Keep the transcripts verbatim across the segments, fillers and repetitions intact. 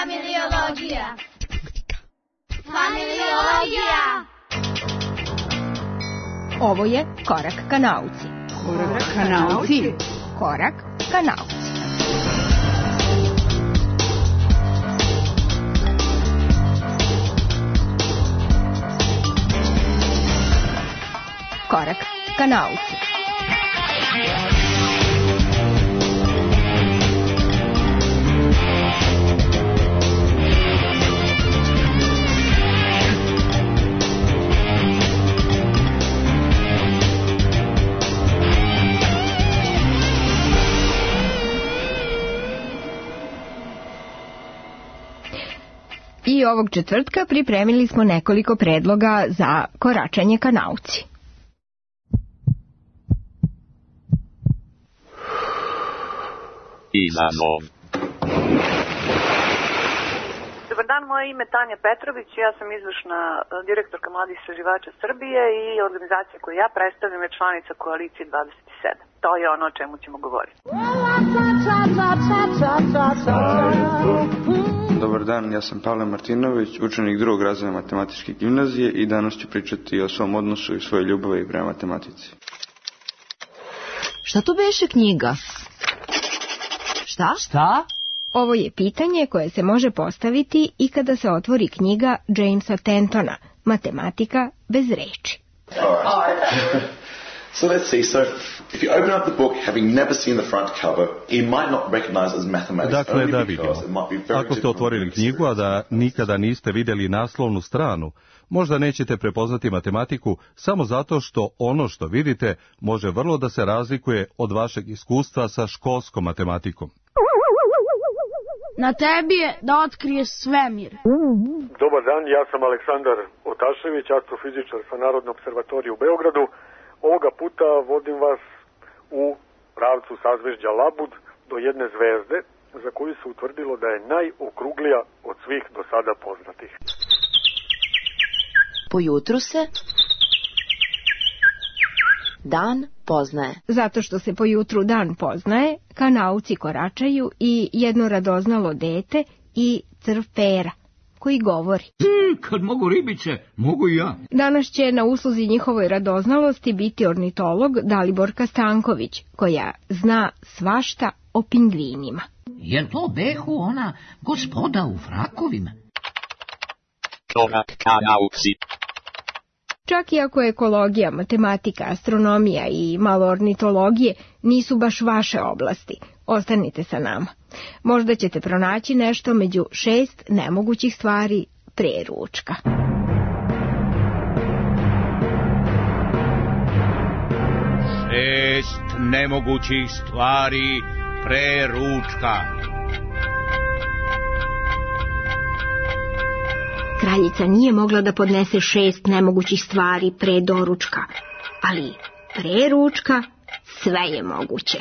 Familiologija. Familiologija. Ovo je Korak ka nauci. Korak ka nauci. Korak ka nauci. Korak ka nauci. I ovog četvrtka pripremili smo nekoliko predloga za koračanje ka nauci. Izazov. Dobar dan, moje ime je Tanja Petrović, ja sam izvršna direktorka Mladih istraživača Srbije i organizacija koju ja predstavljam je članica Koalicije dvadeset sedam. To je ono o čemu ćemo govoriti. Dobar dan, ja sam Pavle Martinović, učenik drugog razreda matematičke gimnazije i danas ću pričati o svom odnosu i svojoj ljubavi prema matematici. Šta to beše knjiga? Šta? Šta? Ovo je pitanje koje se može postaviti i kada se otvori knjiga Jamesa Tentona, Matematika bez reči. So let's see, so if you open up the book having never seen the front cover, you might not recognize as mathematics. Dakle, da vidimo. Ako ste otvorili knjigu, a da nikada niste vidjeli naslovnu stranu, možda nećete prepoznati matematiku samo zato što ono što vidite može vrlo da se razlikuje od vašeg iskustva sa školskom matematikom. Na tebi je da otkriješ svemir. Dobar dan, ja sam Aleksandar Otašević, astrofizičar sa Narodne observatorije u Beogradu. Ovoga puta vodim vas u pravcu sazvežđa Labud do jedne zvezde za koju se utvrdilo da je najokruglija od svih do sada poznatih. Po jutru se dan poznaje. Zato što se po jutru dan poznaje, ka nauci koračaju i jedno radoznalo dete i crv pera, koji govori. Hmm, kad mogu ribice, mogu i ja. Danas će na usluzi njihovoj radoznalosti biti ornitolog Daliborka Stanković, koja zna svašta o pingvinima. Jel to behu ona gospoda u frakovima? Korak ka nauci. Čak i ako ekologija, matematika, astronomija i malo ornitologije nisu baš vaše oblasti, ostanite sa nama. Možda ćete pronaći nešto među šest nemogućih stvari pre ručka. Šest nemogućih stvari pre ručka. Kraljica nije mogla da podnese šest nemogućih stvari pre doručka, ali pre ručka sve je moguće.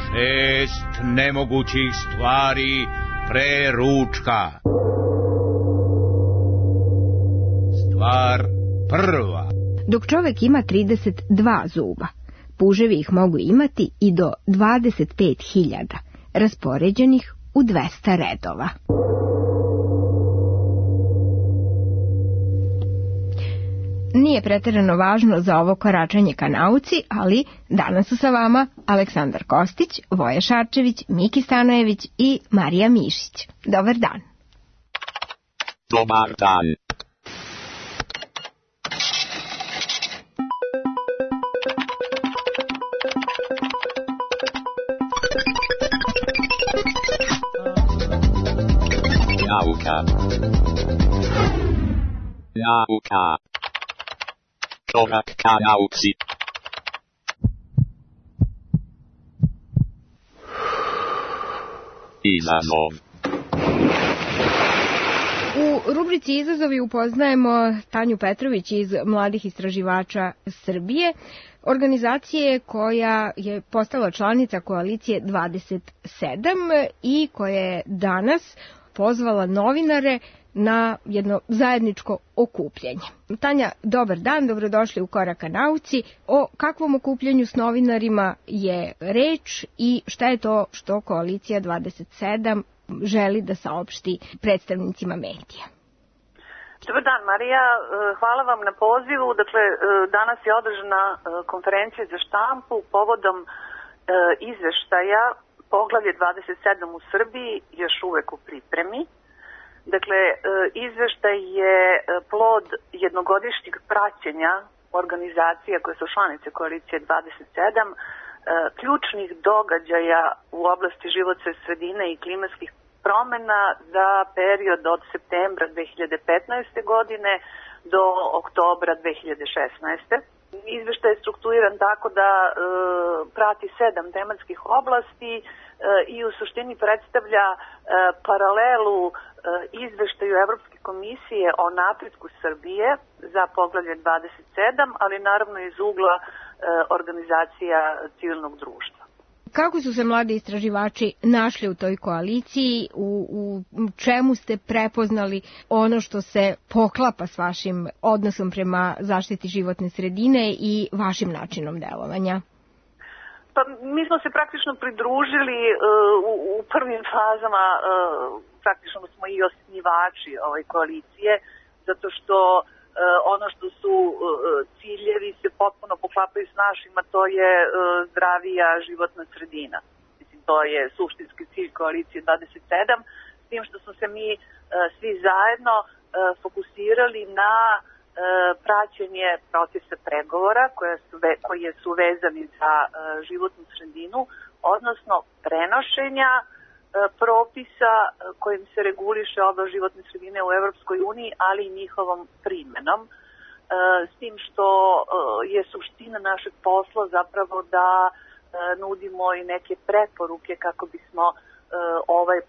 Šest nemogućih stvari pre ručka. Stvar prva. Dok čovek ima trideset dva zuba, puževi ih mogu imati i do dvadeset pet hiljada, raspoređenih u dvesta redova. Nije preterano važno za ovo koračanje ka nauci, ali danas su sa vama Aleksandar Kostić, Voja Šarčević, Miki Stanojević i Marija Mišić. Dobar dan. Dobar dan. Nauka. Nauka. Korak ka nauci. Izazov. U rubrici Izazovi upoznajemo Tanju Petrović iz Mladih istraživača Srbije, organizacije koja je postala članica Koalicije dvadeset sedam i koja je danas pozvala novinare na jedno zajedničko okupljanje. Tanja, dobar dan, dobrodošli u Korak ka nauci. O kakvom okupljanju s novinarima je reč i šta je to što Koalicija dvadeset sedam želi da saopšti predstavnicima medija? Dobar dan, Marija. Hvala vam na pozivu. Dakle, danas je održana konferencija za štampu povodom izveštaja Poglavlje dvadeset sedam u Srbiji, još uvek u pripremi. Dakle, izveštaj je plod jednogodišnjeg praćenja organizacija koje su članice Koalicije dvadeset sedam, ključnih događaja u oblasti životne sredine i klimatskih promena za period od septembra dve hiljade petnaeste. godine do oktobra dve hiljade šesnaeste. Izveštaj je strukturiran tako da e, prati sedam tematskih oblasti e, i u suštini predstavlja e, paralelu e, izveštaju Evropske komisije o napretku Srbije za poglavlje dvadeset sedam, ali naravno iz ugla e, organizacija civilnog društva. Kako su se mladi istraživači našli u toj koaliciji, u, u čemu ste prepoznali ono što se poklapa s vašim odnosom prema zaštiti životne sredine i vašim načinom delovanja? Pa mi smo se praktično pridružili uh, u, u prvim fazama, uh, praktično smo i osnivači ove koalicije, zato što Uh, ono što su uh, ciljevi se potpuno poklapaju s našima, to je uh, zdravija životna sredina. Mislim, to je suštinski cilj Koalicije dvadeset sedam, s tim što smo se mi uh, svi zajedno uh, fokusirali na uh, praćenje procesa pregovora koje su, ve, koje su vezani za uh, životnu sredinu, odnosno prenošenja propisa kojim se reguliše oblast životne sredine u Evropskoj uniji, ali i njihovom primenom. S tim što je suština našeg posla zapravo da nudimo i neke preporuke kako bismo ovaj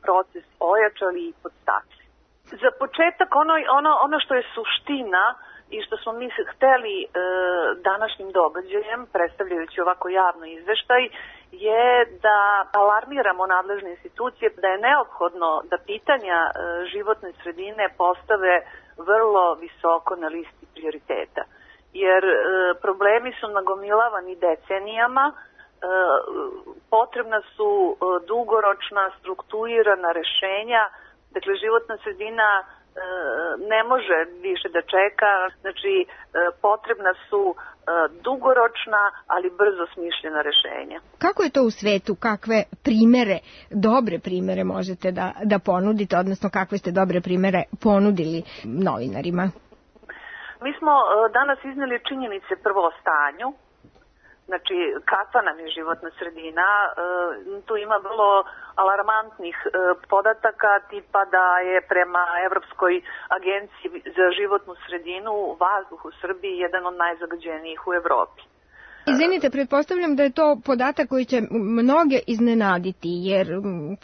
proces ojačali i podstakli. Za početak ono, ono, ono što je suština i što smo mi hteli e, današnjim događajem, predstavljajući ovako javno izveštaj, je da alarmiramo nadležne institucije da je neophodno da pitanja e, životne sredine postave vrlo visoko na listi prioriteta. Jer e, problemi su nagomilavani decenijama, e, potrebna su e, dugoročna, strukturirana rešenja. Dakle, životna sredina ne može više da čeka, znači potrebna su dugoročna, ali brzo smišljena rešenja. Kako je to u svetu? Kakve primere, dobre primere možete da, da ponudite, odnosno kakve ste dobre primere ponudili novinarima? Mi smo danas izneli činjenice prvo o stanju, znači kakva nam je životna sredina. Tu ima vrlo alarmantnih podataka, tipa da je prema Evropskoj agenciji za životnu sredinu vazduh u Srbiji jedan od najzagađenijih u Evropi. Izvinite, pretpostavljam da je to podatak koji će mnoge iznenaditi, jer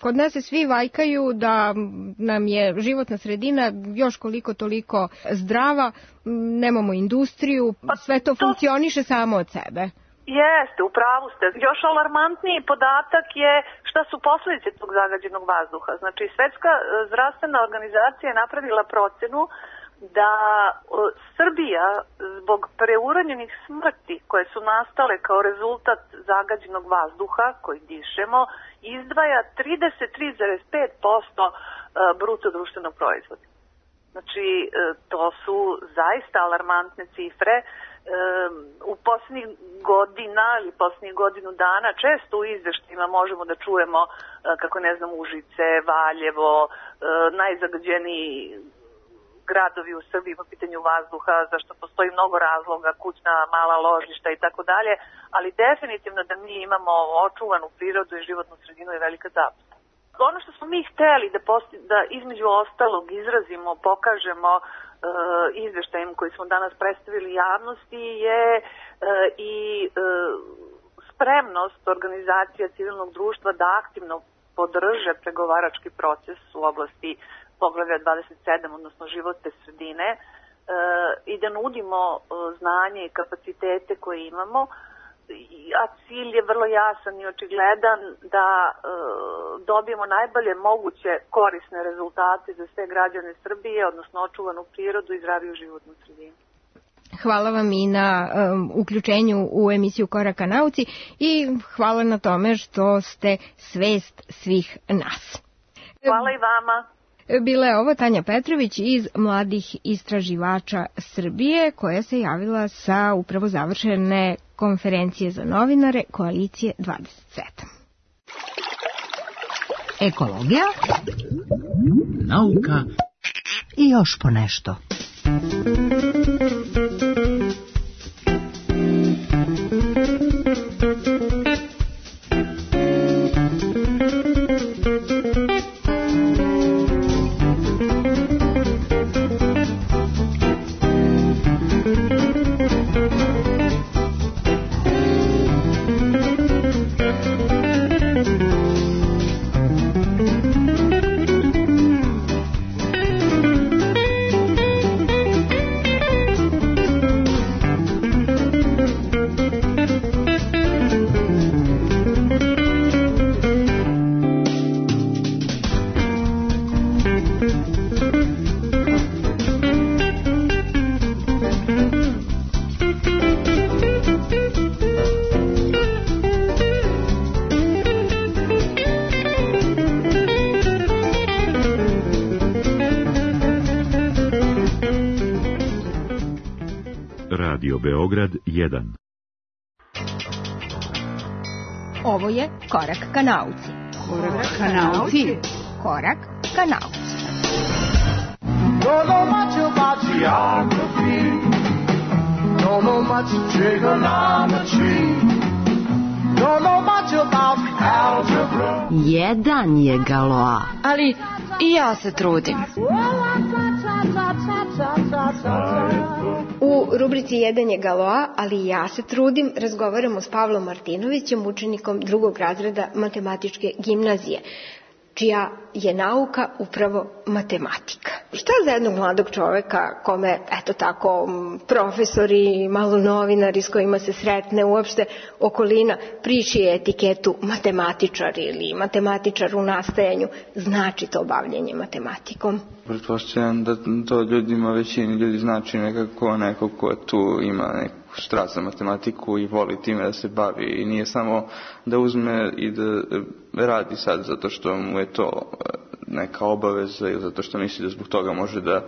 kod nas se svi vajkaju da nam je životna sredina još koliko toliko zdrava, nemamo industriju, sve to funkcioniše samo od sebe. Jeste, u pravu ste. Još alarmantniji podatak je šta su posledice tog zagađenog vazduha. Znači, Svetska zdravstvena organizacija je napravila procenu da Srbija zbog preuranjenih smrti koje su nastale kao rezultat zagađenog vazduha koji dišemo izdvaja trideset tri zarez pet posto bruto društvenog proizvoda. Znači, to su zaista alarmantne cifre. U posljednjih godina ili posljednjih godinu dana često u izveštajima možemo da čujemo kako, ne znam, Užice, Valjevo, najzagađeniji gradovi u Srbiji po pitanju vazduha, zašto postoji mnogo razloga, kućna, mala ložišta i tako dalje, ali definitivno da mi imamo očuvanu prirodu i životnu sredinu je velika zapusta. Ono što smo mi hteli da, posti, da između ostalog izrazimo, pokažemo uh, izveštajem koji smo danas predstavili javnosti je uh, i uh, spremnost organizacija civilnog društva da aktivno podrže pregovarački proces u oblasti poglavlja dvadeset sedam, odnosno životne sredine, uh, i da nudimo uh, znanje i kapacitete koje imamo a cilj je vrlo jasan i očigledan da e, dobijemo najbolje moguće korisne rezultate za sve građane Srbije, odnosno očuvanu prirodu i zdraviju životnu sredinu. Hvala vam i na um, uključenju u emisiju Korak ka nauci i hvala na tome što ste svest svih nas. Hvala i vama. Bila je ovo Tanja Petrović iz Mladih istraživača Srbije, koja se javila sa upravo završene konferencije za novinare Koalicije dvadeset sedam. Ekologija, nauka i još po nešto. Radio Beograd jedan. Ovo je Korak ka nauci. Korak ka nauci. Korak ka nauci. Don't know much about geography. Don't know much trigonometry. Don't know much about algebra. Jedan je Galois. Ali i ja se trudim. U rubrici Jedan je Galois, ali i ja se trudim, razgovaramo s Pavlom Martinovićem, učenikom drugog razreda matematičke gimnazije, čija je nauka upravo matematika. Šta za jednog mladog čoveka, kome, eto tako, profesori, malo novinari s kojima se sretne, uopšte okolina, prišije etiketu matematičar ili matematičar u nastajanju, znači to bavljenje matematikom? Pretpostavljam da to ljudima, većini ljudi znači nekako neko ko tu ima neku strast za matematiku i voli time da se bavi i nije samo da uzme i da radi sad zato što mu je to neka obaveza ili zato što misli da zbog toga može da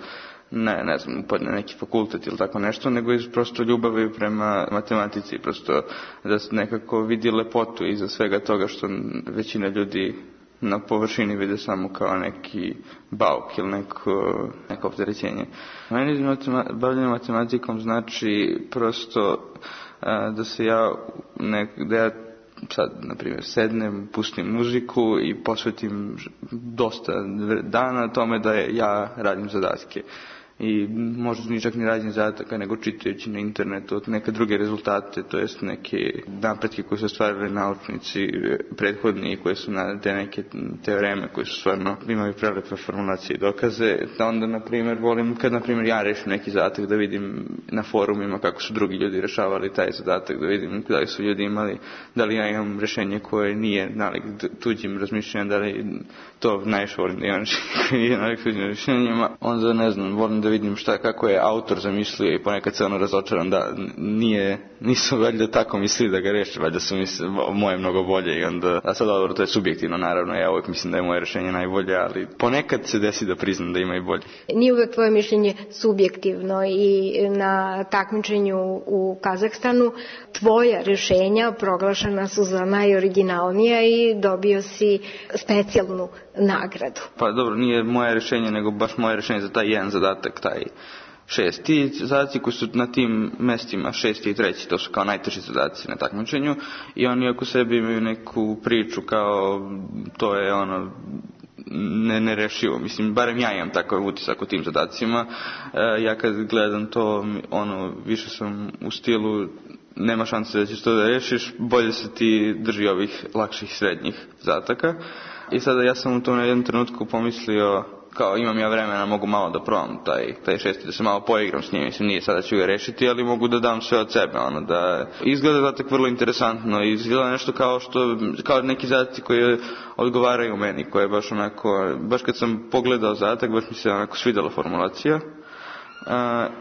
ne, ne znam, upadne neki fakultet ili tako nešto, nego iz prosto ljubavi prema matematici, prosto da se nekako vidi lepotu iza svega toga što većina ljudi na površini vide samo kao neki bauk ili neko, neko opterećenje. Meni matema, bavljanje matematikom znači prosto a, da se ja, nek, da ja sad, na primjer, sednem, pustim muziku i posvetim dosta dana tome da ja radim zadatke. I možda ni čak ni radim zadataka, nego čitajući na internetu od neke druge rezultate, to jest neke napretke koje su ostvarili naučnici prethodni, koje su na te neke teoreme koje su stvarno imaju prelepe formulacije i dokaze. Da onda, na primjer, volim kad, na primjer, ja rešim neki zadatak da vidim na forumima kako su drugi ljudi rešavali taj zadatak, da vidim da li su ljudi imali, da li ja imam rešenje koje nije nalik tuđim razmišljanjem, da li to najviše volim da imam rešenje nalik tuđim rešenjima. Onda, ne znam, volim da vidim šta, kako je autor zamislio i ponekad se ono razočaram da nije, nisu valjda tako mislili da ga reše, valjda su misli, moje mnogo bolje i onda, a sad dobro, to je subjektivno naravno, ja uvijek mislim da je moje rešenje najbolje, ali ponekad se desi da priznam da ima i bolje. Nije uvijek tvoje mišljenje subjektivno i na takmičenju u Kazahstanu tvoja rešenja proglašena su za najoriginalnija i dobio si specijalnu nagradu. Pa dobro, nije moje rešenje, nego baš moje rešenje za taj jedan zadatak, taj šest. Ti zadaci koji su na tim mestima, šesti i treći, to su kao najteži zadaci na takmičenju i oni oko sebe imaju neku priču kao to je ono ne, nerešivo. Mislim, barem ja imam takav utisak o tim zadacima. E, ja kad gledam to, ono, više sam u stilu nema šanse da ćeš to da rešiš, bolje se ti drži ovih lakših srednjih zadataka. I sada ja sam u tom na jednom trenutku pomislio, kao imam ja vremena, mogu malo da probam taj, taj šesti, da se malo poigram s njim, mislim, nije sada ću ga rešiti, ali mogu da dam sve od sebe, ono, da izgleda zadatak vrlo interesantno i izgleda nešto kao što, kao neki zadaci koji odgovaraju meni, koje je baš onako, baš kad sam pogledao zadatak, baš mi se onako svidela formulacija. Uh,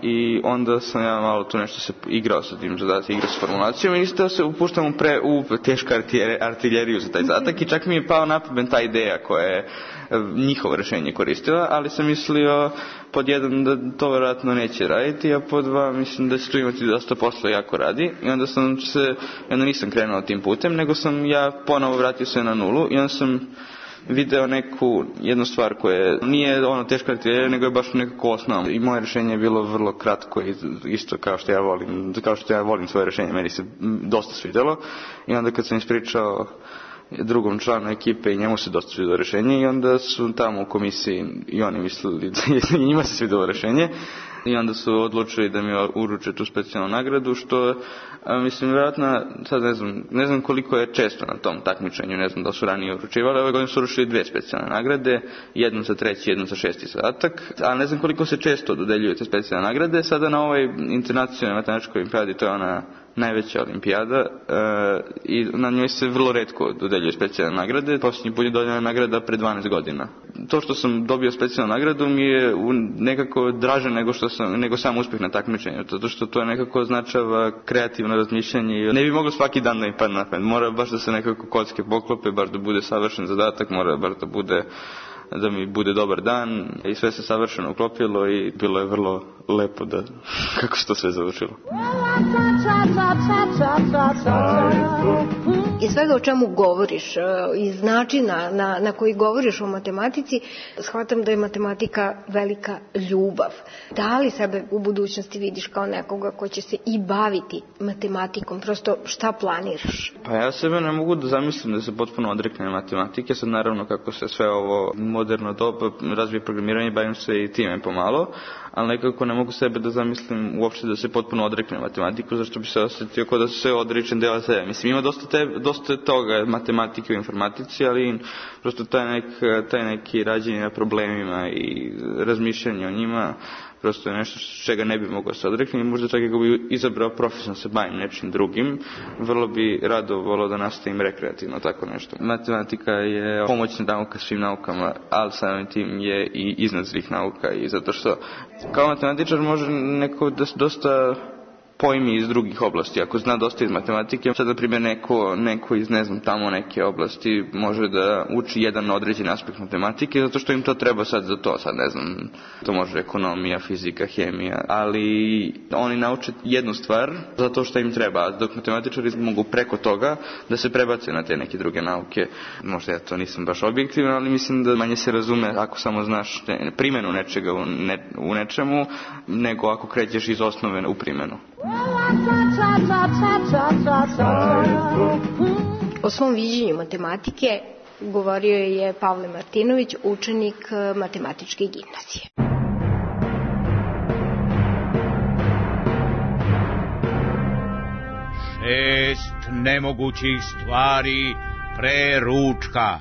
i onda sam ja malo tu nešto se igrao sa tim zadatak, igrao sa formulacijom i isto se upuštam u, pre, u tešku artiljeriju za taj zadatak i čak mi je pao na pamet ta ideja koja je njihovo rešenje koristila, ali sam mislio pod jedan da to vjerojatno neće raditi, a pod dva mislim da će tu imati dosta posla jako radi i onda sam se, onda nisam krenuo tim putem, nego sam ja ponovo vratio se na nulu i onda sam video neku jednu stvar koja nije ono teška artiljerija, nego je baš nekako osnovno. I moje rešenje je bilo vrlo kratko i isto kao što ja volim, kao što ja volim svoje rešenje, meni se dosta svidelo. I onda kad sam ispričao drugom članu ekipe i njemu se dosta svidelo rešenje i onda su tamo u komisiji i oni mislili da njima se svidelo rešenje. I onda su odlučili da mi uruče tu specijalnu nagradu, što, a, mislim, vjerojatno, sad ne znam, ne znam koliko je često na tom takmičenju, ne znam da su ranije uručivali, ove godine su uručili dve specijalne nagrade, jednu za treći, jednu za šesti zadatak, a ne znam koliko se često dodeljuju te specijalne nagrade. Sada na ovoj internacionalnoj matematičkoj olimpijadi, to je ona najveća olimpijada, e, i na njoj se vrlo retko dodeljuju specijalne nagrade. Posljednji put je dodeljena nagrada pre dvanaest godina. To što sam dobio specijalnu nagradu mi je nekako draže nego što sam, nego sam uspjeh na takmičenju, zato što to nekako označava kreativno razmišljanje i ne bi moglo svaki dan da mi padne na pamet. Mora baš da se nekako kocke poklope, baš da bude savršen zadatak, mora baš da bude da mi bude dobar dan i sve se savršeno uklopilo i bilo je vrlo lepo da kako se to sve završilo. Iz svega o čemu govoriš, iz načina na, na koji govoriš o matematici, shvatam da je matematika velika ljubav. Da li sebe u budućnosti vidiš kao nekoga ko će se i baviti matematikom? Prosto šta planiraš? Pa ja sebe ne mogu da zamislim da se potpuno odreknem matematike. Sad naravno kako se sve ovo moderno doba razvije programiranje, bavim se i time pomalo, ali nekako ne mogu sebe da zamislim uopšte da se potpuno odreknem matematiku, zašto bi se osjetio kao da se odričem dela sebe. Mislim, ima dosta, te, dosta toga matematike u informatici, ali prosto taj, nek, taj neki rađenje na problemima i razmišljanje o njima prosto je nešto čega ne bi mogao se odreknuti. Možda čak ako bi izabrao profesionalno se bavim nečim drugim, vrlo bi rado volao da nastavim rekreativno tako nešto. Matematika je pomoćna nauka svim naukama, ali samim tim je i iznad svih nauka i zato što kao matematičar može neko da dosta pojmi iz drugih oblasti. Ako zna dosta iz matematike, sad na primjer neko, neko iz ne znam tamo neke oblasti može da uči jedan određen aspekt matematike zato što im to treba sad za to, sad ne znam, to može ekonomija, fizika, hemija, ali oni nauče jednu stvar zato što im treba, dok matematičari mogu preko toga da se prebace na te neke druge nauke. Možda ja to nisam baš objektivan, ali mislim da manje se razume ako samo znaš ne, primjenu nečega u, ne, u nečemu, nego ako krećeš iz osnove u primjenu. O svom viđenju matematike govorio je Pavle Martinović, učenik matematičke gimnazije. Šest nemogućih stvari pre ručka.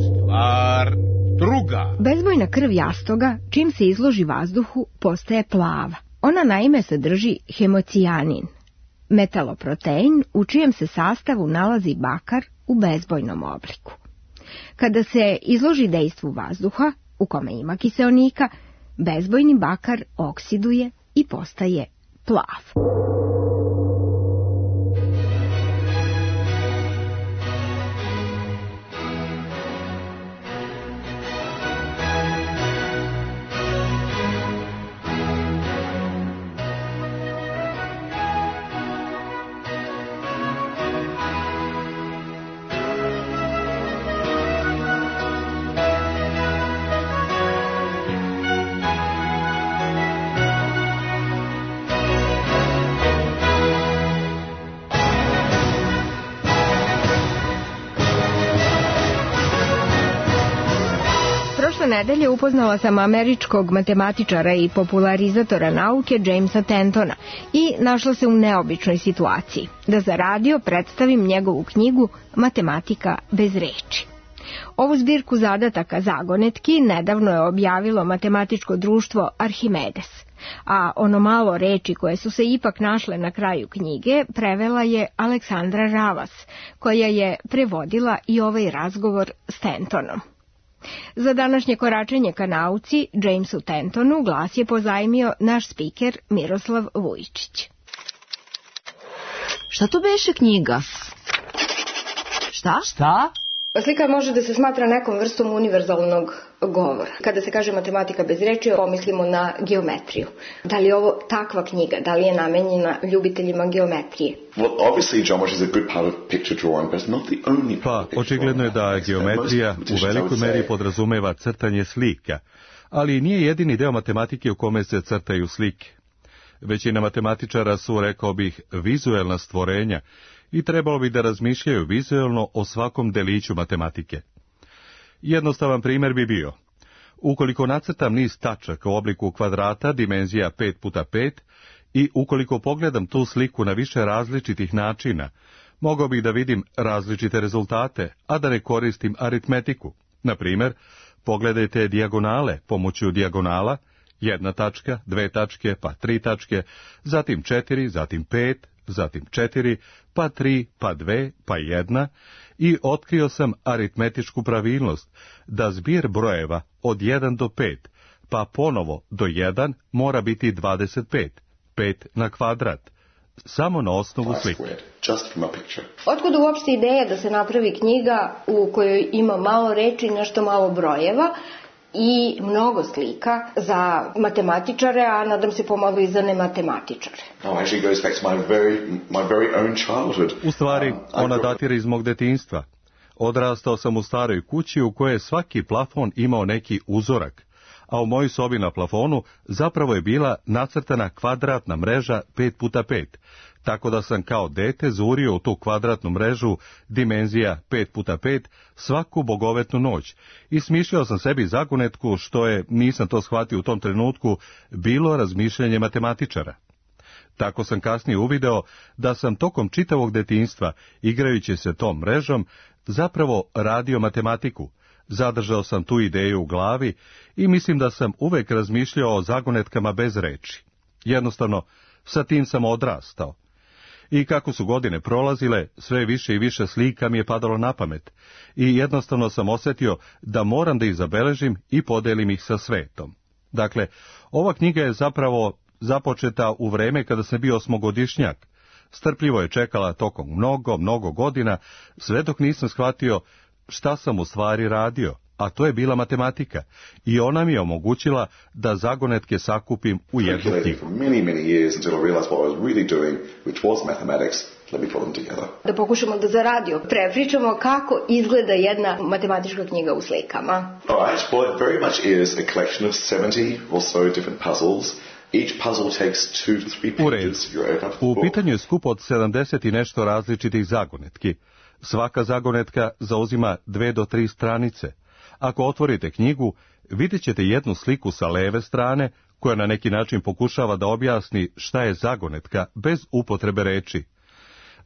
Stvar druga. Bezbojna krv jastoga, čim se izloži vazduhu, postaje plava. Ona naime sadrži hemocijanin, metaloprotein u čijem se sastavu nalazi bakar u bezbojnom obliku. Kada se izloži dejstvu vazduha, u kome ima kiseonika, bezbojni bakar oksiduje i postaje plav. Nedelje upoznala sam američkog matematičara i popularizatora nauke Jamesa Tentona i našla se u neobičnoj situaciji da za radio predstavim njegovu knjigu Matematika bez reči. Ovu zbirku zadataka zagonetki nedavno je objavilo matematičko društvo Arhimedes, a ono malo reči koje su se ipak našle na kraju knjige prevela je Aleksandra Ravas, koja je prevodila i ovaj razgovor s Tentonom. Za današnje koračenje ka nauci, Jamesu Tentonu glas je pozajmio naš spiker Miroslav Vujčić. Šta to beše knjiga? Šta? Šta? Slika može da se smatra nekom vrstom univerzalnog govora. Kada se kaže matematika bez reči, pomislimo na geometriju. Da li je ovo takva knjiga? Da li je namenjena ljubiteljima geometrije? Well, obviously geometry is a good part of picture drawing, but it's not the only part. Pa, očigledno je da geometrija u velikoj meri podrazumeva crtanje slika, ali nije jedini deo matematike u kome se crtaju slike. Većina matematičara su, rekao bih, vizuelna stvorenja i trebalo bi da razmišljaju vizuelno o svakom deliću matematike. Jednostavan primjer bi bio: ukoliko nacrtam niz tačaka u obliku kvadrata dimenzija pet puta pet i ukoliko pogledam tu sliku na više različitih načina, mogao bih da vidim različite rezultate, a da ne koristim aritmetiku. Na primjer, pogledajte dijagonale pomoću dijagonala, jedna tačka, dve tačke, pa tri tačke, zatim četiri, zatim pet, zatim četiri, pa tri, pa dve, pa jedna, i otkrio sam aritmetičku pravilnost da zbir brojeva od jedan do pet, pa ponovo do jedan mora biti dvadeset pet, pet na kvadrat, samo na osnovu slike. Otkud uopšte ideja da se napravi knjiga u kojoj ima malo reči, nešto malo brojeva i mnogo slika za matematičare, a nadam se pomalo i za nematematičare? Oh, actually goes back to my very, my very own childhood. U stvari, ona datira iz mog detinjstva. Odrastao sam u staroj kući u kojoj je svaki plafon imao neki uzorak, a u mojoj sobi na plafonu zapravo je bila nacrtana kvadratna mreža pet puta pet, tako da sam kao dete zurio u tu kvadratnu mrežu dimenzija pet puta pet svaku bogovetnu noć i smišljao sam sebi zagonetku, što je, nisam to shvatio u tom trenutku, bilo razmišljanje matematičara. Tako sam kasnije uvideo da sam tokom čitavog detinjstva, igrajući se tom mrežom, zapravo radio matematiku. Zadržao sam tu ideju u glavi i mislim da sam uvek razmišljao o zagonetkama bez reči. Jednostavno, sa tim sam odrastao. I kako su godine prolazile, sve više i više slika mi je padalo na pamet i jednostavno sam osjetio da moram da ih zabeležim i podelim ih sa svetom. Dakle, ova knjiga je zapravo započeta u vreme kada sam bio osmogodišnjak. Strpljivo je čekala tokom mnogo, mnogo godina, sve dok nisam shvatio šta sam u stvari radio, a to je bila matematika, i ona mi je omogućila da zagonetke sakupim u jednu knjigu. Da pokušamo da za radio prepričamo kako izgleda jedna matematička knjiga u slikama. Alright, well, it very much is a collection of seventy or so different puzzles. Each puzzle takes two to three pages. U pitanju je skup od sedamdeset i nešto različitih zagonetki. Svaka zagonetka zauzima dve do tri stranice. Ako otvorite knjigu, vidjet ćete jednu sliku sa leve strane, koja na neki način pokušava da objasni šta je zagonetka bez upotrebe reči.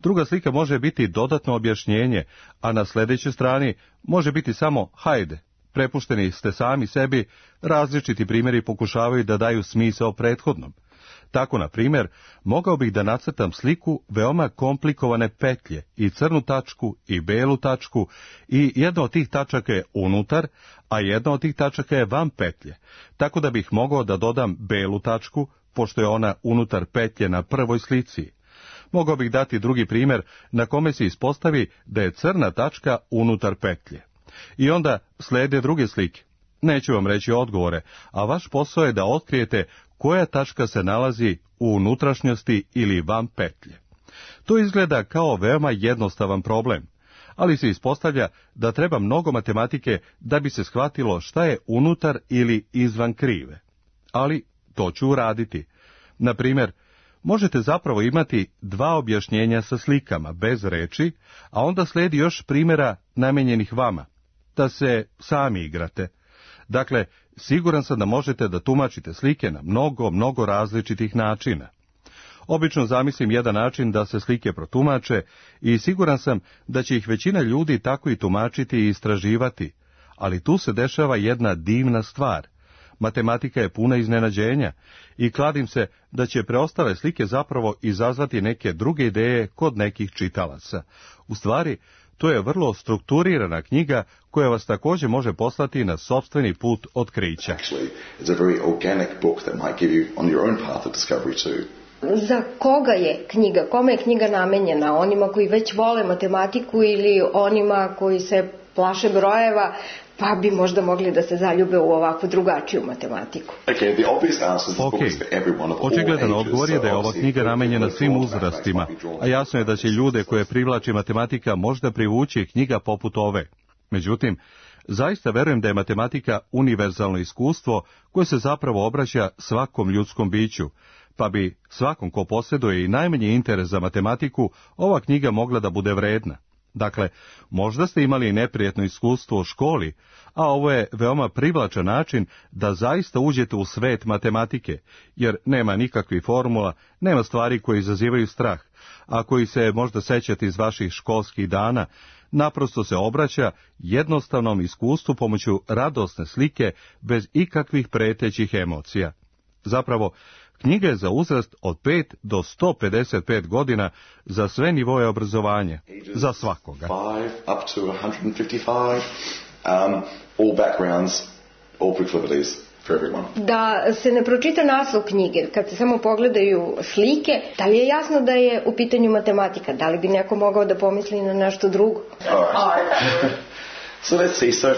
Druga slika može biti dodatno objašnjenje, a na sljedećoj strani može biti samo hajde. Prepušteni ste sami sebi, različiti primjeri pokušavaju da daju smisao prethodnom. Tako, na primjer, mogao bih da nacrtam sliku veoma komplikovane petlje i crnu tačku i belu tačku i jedna od tih tačaka je unutar, a jedna od tih tačaka je van petlje, tako da bih mogao da dodam belu tačku, pošto je ona unutar petlje na prvoj slici. Mogao bih dati drugi primjer na kome se ispostavi da je crna tačka unutar petlje. I onda slijede druge slike. Neću vam reći odgovore, a vaš posao je da otkrijete koja tačka se nalazi u unutrašnjosti ili van petlje. To izgleda kao veoma jednostavan problem, ali se ispostavlja da treba mnogo matematike da bi se shvatilo šta je unutar ili izvan krive. Ali to ću uraditi. Na primjer, možete zapravo imati dva objašnjenja sa slikama bez reči, a onda slijedi još primjera namijenjenih vama, da se sami igrate. Dakle, siguran sam da možete da tumačite slike na mnogo, mnogo različitih načina. Obično zamislim jedan način da se slike protumače i siguran sam da će ih većina ljudi tako i tumačiti i istraživati, ali tu se dešava jedna divna stvar. Matematika je puna iznenađenja i kladim se da će preostale slike zapravo izazvati neke druge ideje kod nekih čitalaca. U stvari, to je vrlo strukturirana knjiga koja vas također može poslati na sopstveni put otkrića. Za koga je knjiga? Kome je knjiga namenjena? Onima koji već vole matematiku ili onima koji se plaše brojeva, pa bi možda mogli da se zaljube u ovakvu drugačiju matematiku? Ok, očigledan odgovor je da je ova knjiga namenjena svim uzrastima, a jasno je da će ljude koje privlači matematika možda privući knjiga poput ove. Međutim, zaista verujem da je matematika univerzalno iskustvo koje se zapravo obraća svakom ljudskom biću, pa bi svakom ko posjeduje i najmanji interes za matematiku ova knjiga mogla da bude vredna. Dakle, možda ste imali neprijatno iskustvo u školi, a ovo je veoma privlačan način da zaista uđete u svet matematike, jer nema nikakvih formula, nema stvari koje izazivaju strah, a koji se možda sećate iz vaših školskih dana, naprosto se obraća jednostavnom iskustvu pomoću radosne slike bez ikakvih pretećih emocija. Zapravo, knjiga je za uzrast od pet do sto pedeset pet godina za sve nivoje obrazovanja, za svakoga. five up to one hundred fifty-five, um, all backgrounds, all proclivities for everyone. Da se ne pročita naslov knjige, kad se samo pogledaju slike, da li je jasno da je u pitanju matematika? Da li bi neko mogao da pomisli na nešto drugo? All right. So let's see, so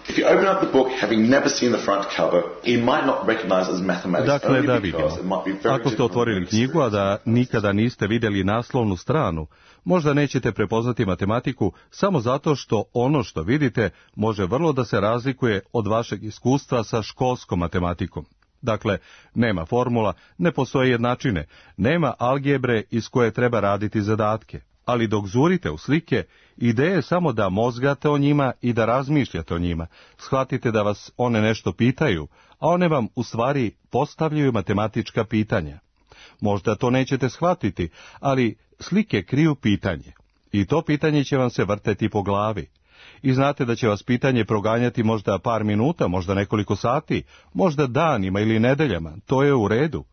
if you open up the book having never seen the front cover, you might not recognize it as mathematics. Dakle, da vidimo. Ako ste otvorili knjigu, a da nikada niste vidjeli naslovnu stranu, možda nećete prepoznati matematiku samo zato što ono što vidite može vrlo da se razlikuje od vašeg iskustva sa školskom matematikom. Dakle, nema formula, ne postoje jednačine, nema algebre iz koje treba raditi zadatke. Ali dok zurite u slike, ideja je samo da mozgate o njima i da razmišljate o njima. Shvatite da vas one nešto pitaju, a one vam u stvari postavljaju matematička pitanja. Možda to nećete shvatiti, ali slike kriju pitanje. I to pitanje će vam se vrteti po glavi. I znate da će vas pitanje proganjati možda par minuta, možda nekoliko sati, možda danima ili nedeljama. To je u redu.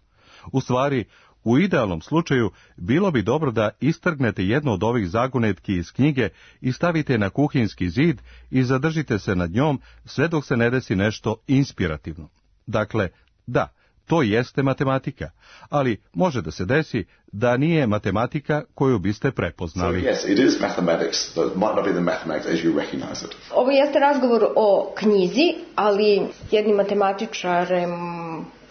U stvari, u idealnom slučaju, bilo bi dobro da istrgnete jednu od ovih zagonetki iz knjige i stavite na kuhinjski zid i zadržite se nad njom sve dok se ne desi nešto inspirativno. Dakle, da, to jeste matematika, ali može da se desi da nije matematika koju biste prepoznali. So, yes, it is mathematics, but it might not be the mathematics as you recognize it. Ovo jeste razgovor o knjizi, ali jednim matematičarem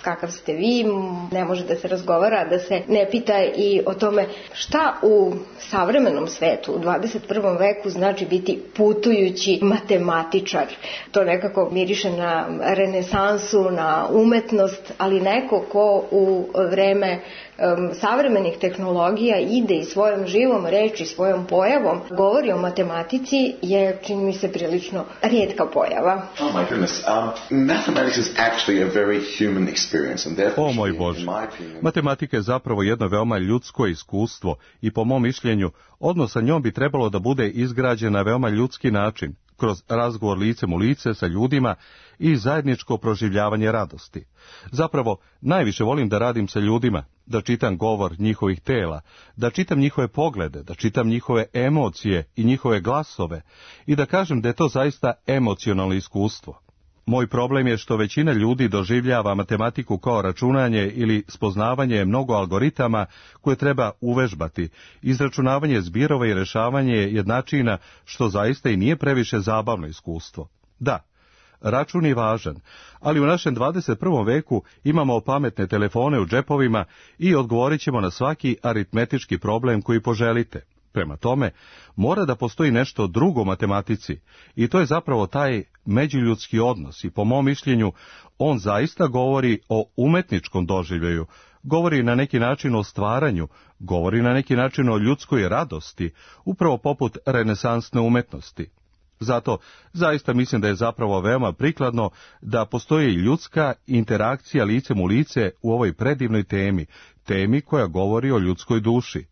kakav ste vi, ne može da se razgovara, da se ne pita i o tome šta u savremenom svetu, u dvadeset prvom veku znači biti putujući matematičar. To nekako miriše na renesansu, na umetnost, ali neko ko u vreme um, savremenih tehnologija ide i svojom živom reči, svojom pojavom govori o matematici je, čini mi se, prilično rijetka pojava. Oh my goodness, um, mathematics is actually a very human experience. O moj Bože, matematika je zapravo jedno veoma ljudsko iskustvo i po mom mišljenju odnos sa njom bi trebalo da bude izgrađen na veoma ljudski način, kroz razgovor licem u lice sa ljudima i zajedničko proživljavanje radosti. Zapravo, najviše volim da radim sa ljudima, da čitam govor njihovih tela, da čitam njihove poglede, da čitam njihove emocije i njihove glasove i da kažem da je to zaista emocionalno iskustvo. Moj problem je što većina ljudi doživljava matematiku kao računanje ili spoznavanje mnogo algoritama koje treba uvežbati, izračunavanje zbirova i rešavanje jednačina, što zaista i nije previše zabavno iskustvo. Da, račun je važan, ali u našem dvadeset prvom veku imamo pametne telefone u džepovima i odgovorit ćemo na svaki aritmetički problem koji poželite. Prema tome, mora da postoji nešto drugo u matematici i to je zapravo taj međuljudski odnos i po mom mišljenju on zaista govori o umetničkom doživljaju, govori na neki način o stvaranju, govori na neki način o ljudskoj radosti, upravo poput renesansne umetnosti. Zato zaista mislim da je zapravo veoma prikladno da postoji ljudska interakcija licem u lice u ovoj predivnoj temi, temi koja govori o ljudskoj duši.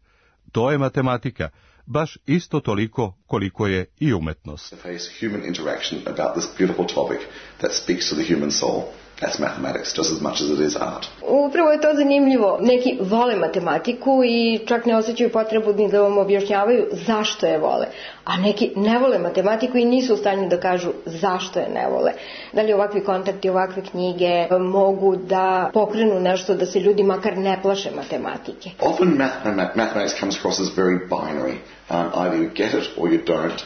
To je matematika, baš isto toliko koliko je i umetnost. Human interaction about this beautiful topic that speaks to the human soul. That's mathematics just as much as it is art. Upravo je to zanimljivo. Neki vole matematiku i čak ne osjećaju potrebu ni da vam objašnjavaju zašto je vole. A neki ne vole matematiku i nisu u stanju da kažu zašto je ne vole. Da li ovakvi kontakti, ovakve knjige mogu da pokrenu nešto da se ljudi makar ne plaše matematike? Often mathematics comes across as very binary. Um, either you get it or you don't.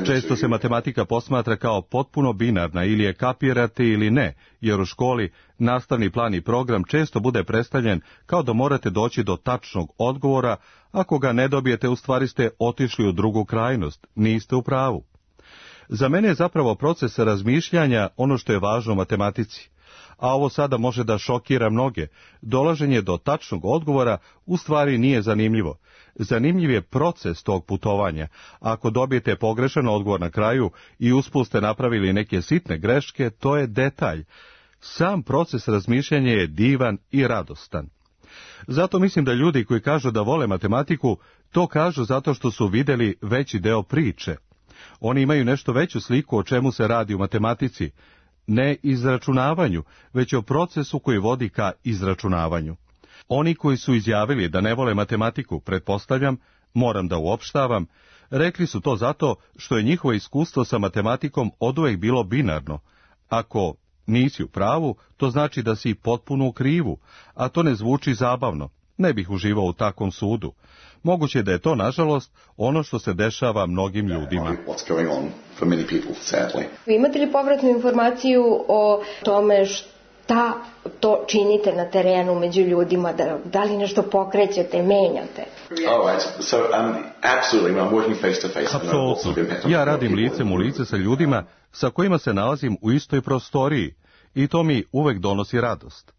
Često se matematika posmatra kao potpuno binarna, ili je kapirate ili ne, jer u školi nastavni plan i program često bude predstavljen kao da morate doći do tačnog odgovora, ako ga ne dobijete u stvari ste otišli u drugu krajnost, niste u pravu. Za mene je zapravo proces razmišljanja ono što je važno u matematici. A ovo sada može da šokira mnoge. Dolaženje do tačnog odgovora u stvari nije zanimljivo. Zanimljiv je proces tog putovanja. Ako dobijete pogrešan odgovor na kraju i usput ste napravili neke sitne greške, to je detalj. Sam proces razmišljanja je divan i radostan. Zato mislim da ljudi koji kažu da vole matematiku, to kažu zato što su vidjeli veći deo priče. Oni imaju nešto veću sliku o čemu se radi u matematici, ne izračunavanju, već o procesu koji vodi ka izračunavanju. Oni koji su izjavili da ne vole matematiku, pretpostavljam, moram da uopštavam, rekli su to zato što je njihovo iskustvo sa matematikom oduvek bilo binarno. Ako nisi u pravu, to znači da si potpuno u krivu, a to ne zvuči zabavno. Ne bih uživao u takvom sudu. Moguće da je to, nažalost, ono što se dešava mnogim ljudima. Imate li povratnu informaciju o tome šta to činite na terenu među ljudima, da, da li nešto pokrećete, menjate? Apsolutno. Ja radim licem u lice sa ljudima sa kojima se nalazim u istoj prostoriji i to mi uvek donosi radost.